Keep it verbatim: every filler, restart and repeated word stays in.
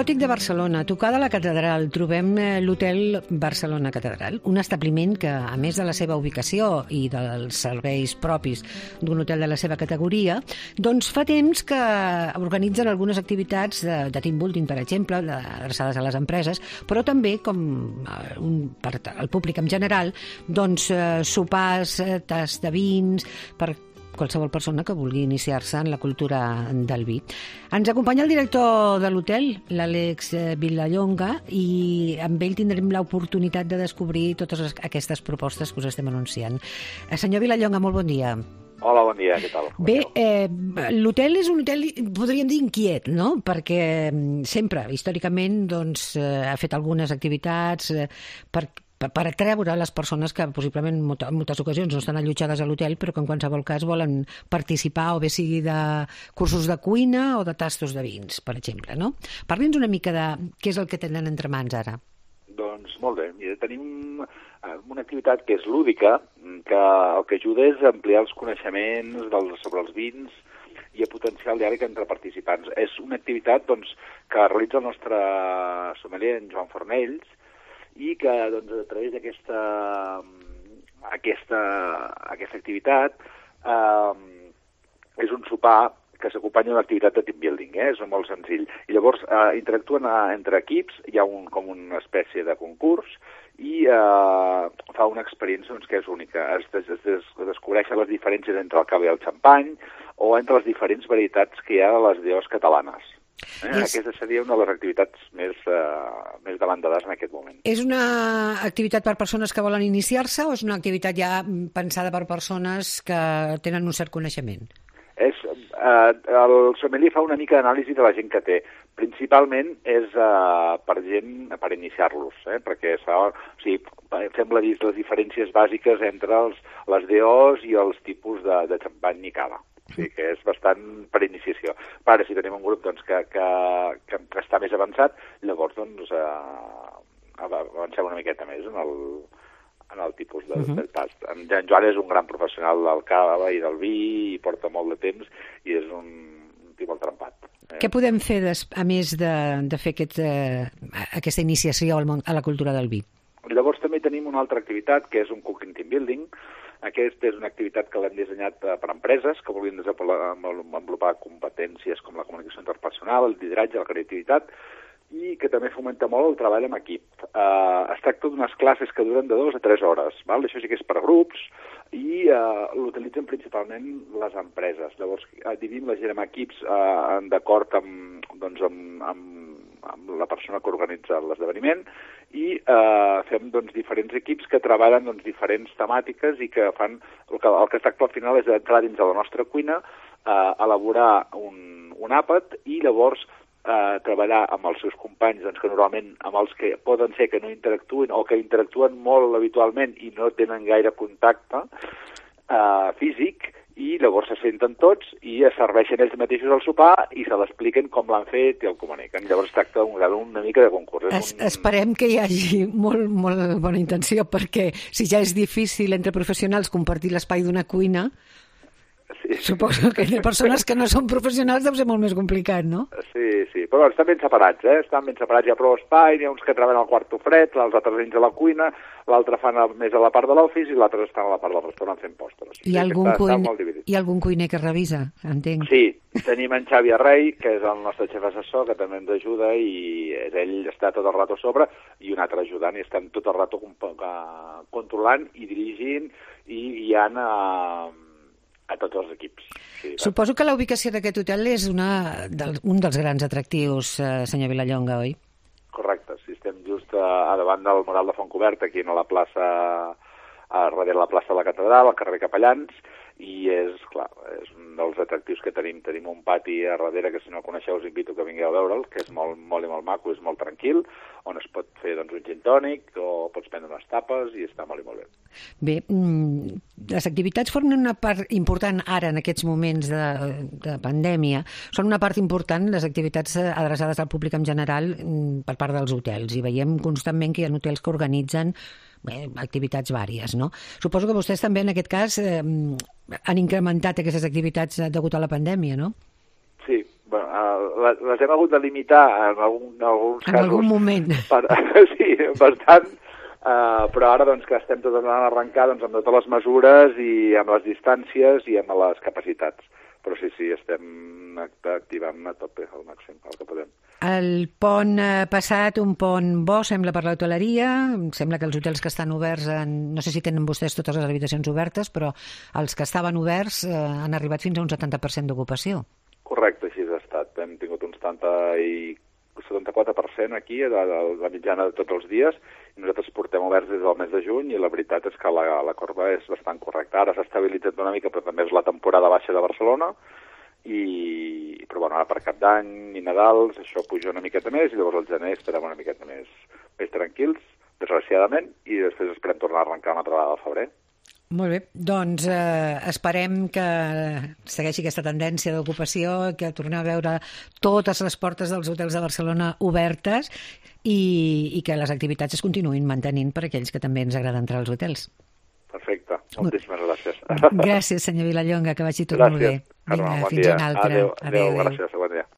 gòtic de Barcelona, tocada a la catedral, trobem l'Hotel Barcelona Catedral, un establiment que, a més de la seva ubicació i dels serveis propis d'un hotel de la seva categoria, doncs fa temps que organitzen algunes activitats de, de team building, per exemple, adreçades a les empreses, però també, com un, per al públic en general, doncs sopars, tas de vins, per qualsevol persona que vulgui iniciar-se en la cultura del vi. Ens acompanya el director de l'hotel, l'Àlex Vilallonga, i amb ell tindrem l'oportunitat de descobrir totes aquestes propostes que us estem anunciant. Senyor Vilallonga, molt bon dia. Hola, bon dia, què tal? Bé, eh, l'hotel és un hotel, podríem dir, inquiet, no? Perquè sempre, històricament, doncs, eh, ha fet algunes activitats eh, per per atreure les persones que possiblement en moltes ocasions no estan allotjades a l'hotel però que en qualsevol cas volen participar o bé sigui de cursos de cuina o de tastos de vins, per exemple, no? Parli'ns una mica de què és el que tenen entre mans ara. Doncs molt bé, mira, tenim una activitat que és lúdica, que el que ajuda és a ampliar els coneixements dels, sobre els vins i a potenciar el diàleg entre participants. És una activitat doncs, que realitza el nostre sommelier, en Joan Fornells, i que doncs, a través d'aquesta aquesta, aquesta activitat eh, és un sopar que s'acompanya d'una activitat de team building, eh? És molt senzill. I llavors eh, interactuen eh, entre equips, hi ha un, com una espècie de concurs i eh, fa una experiència doncs, que és única. Es, es, es, es descobreixen les diferències entre el cava i el xampany o entre les diferents varietats que hi ha a les deos catalanes. Eh? És... Aquesta seria una de les activitats més, uh, més davantades en aquest moment. És una activitat per persones que volen iniciar-se o és una activitat ja pensada per persones que tenen un cert coneixement? És, uh, el sommelier fa una mica d'anàlisi de la gent que té. Principalment és uh, per gent, per iniciar-los, eh? Perquè fa, o sigui, fem les, les diferències bàsiques entre els, les deos i els tipus de, de xampany i cava. O sigui que és bastant per iniciació. Ara, si tenim un grup doncs, que, que, que, que està més avançat, llavors doncs, eh, avancem una miqueta més en el, en el tipus de, uh -huh. del tast. En, en Joan és un gran professional del cava i del vi, i porta molt de temps, i és un, un tip molt trempat. Eh? Què podem fer, des, a més de, de fer aquest, eh, aquesta iniciació al món, a la cultura del vi? Llavors també tenim una altra activitat, que és un cooking team building. Aquesta és una activitat que l'hem dissenyat per empreses que vulguin desenvolupar competències com la comunicació interpersonal, el lideratge, la creativitat, i que també fomenta molt el treball en equip. Uh, es tracta d'unes classes que duren de dues a tres hores. Val? Això sí que és per grups i uh, l'utilitzen principalment les empreses. Llavors, uh, dividim la gent en equips uh, d'acord amb, doncs, amb, amb, amb la persona que organitza l'esdeveniment i eh, fem doncs, diferents equips que treballen doncs, diferents temàtiques i que fan... El que, el que es tracta al final és d'entrar dins de la nostra cuina, eh, elaborar un, un àpat i llavors eh, treballar amb els seus companys, doncs, que normalment amb els que poden ser que no interactuïn o que interactuen molt habitualment i no tenen gaire contacte eh, físic, i llavors se senten tots i es serveixen ells mateixos al sopar i se l'expliquen com l'han fet i el comuniquen. Llavors es tracta una, una mica de concurs. Es, un... Esperem que hi hagi molt, molt bona intenció, perquè si ja és difícil entre professionals compartir l'espai d'una cuina, sí. Suposo que de persones que no són professionals deu ser molt més complicat, no? Sí, sí, però estan ben separats, eh? Estan ben separats, hi ha prou espai, hi ha uns que treballen al quarto fred, els altres dins de la cuina, l'altre fan més a la part de l'office i l'altre estan a la part del restaurant fent postres. Hi ha, sí, algun, està, cuin... està hi ha algun cuiner que revisa, entenc? Sí, tenim en Xavi Arrey, que és el nostre xef assessor, que també ens ajuda i ell està tot el rato a sobre i un altre ajudant i estan tot el rato controlant i dirigint i guiant a... a tots els equips. Sí, suposo que la ubicació d'aquest hotel és una del, un dels grans atractius, eh, senyor Vilallonga, oi? Correcte, sí, estem just a, a davant del Moral de Fontcoberta, aquí a la plaça, a darrere la plaça de la Catedral, al carrer Capellans, i és, clar, és un dels atractius que tenim. Tenim un pati a darrere que si no el coneixeu us invito que vingueu a veure'l, que és molt, molt i molt maco, és molt tranquil, on es pot fer doncs, un gin tònic o pots prendre unes tapes i està molt i molt bé. Bé, les activitats formen una part important ara en aquests moments de, de pandèmia, són una part important les activitats adreçades al públic en general per part dels hotels i veiem constantment que hi ha hotels que organitzen bé, activitats vàries, no? Suposo que vostès també en aquest cas eh, han incrementat aquestes activitats degut a la pandèmia, no? Sí, Bueno, les hem hagut de limitar en, algun, en alguns en casos. En algun moment. Per, sí, bastant, uh, però ara doncs, que estem tots anant a arrencar doncs, amb totes les mesures i amb les distàncies i amb les capacitats. Però sí, sí, estem activant a tope al màxim, el que podem. El pont passat, un pont bo, sembla, per l'hoteleria. Sembla que els hotels que estan oberts, en, no sé si tenen vostès totes les habitacions obertes, però els que estaven oberts eh, han arribat fins a un setanta per cent d'ocupació. Correcte, així ha estat. Hem tingut un setanta i setanta-quatre per cent aquí, de, de la mitjana de tots els dies, i nosaltres portem oberts des del mes de juny, i la veritat és que la, la corba és bastant correcta. Ara s'ha estabilitzat una mica, però també és la temporada baixa de Barcelona, i però bueno, ara per Cap d'Any i Nadals això puja una miqueta més, i llavors al gener estarem una miqueta més, més tranquils, desgraciadament, i després esperem tornar a arrencar una altra vegada al febrer. Molt bé, doncs eh, esperem que segueixi aquesta tendència d'ocupació, que tornem a veure totes les portes dels hotels de Barcelona obertes i, i que les activitats es continuïn mantenint per aquells que també ens agrada entrar als hotels. Perfecte, moltíssimes gràcies. Gràcies, senyor Vilallonga, que vagi tot molt bé. Vinga, fins una altra. Adéu, adéu, gràcies, bon dia.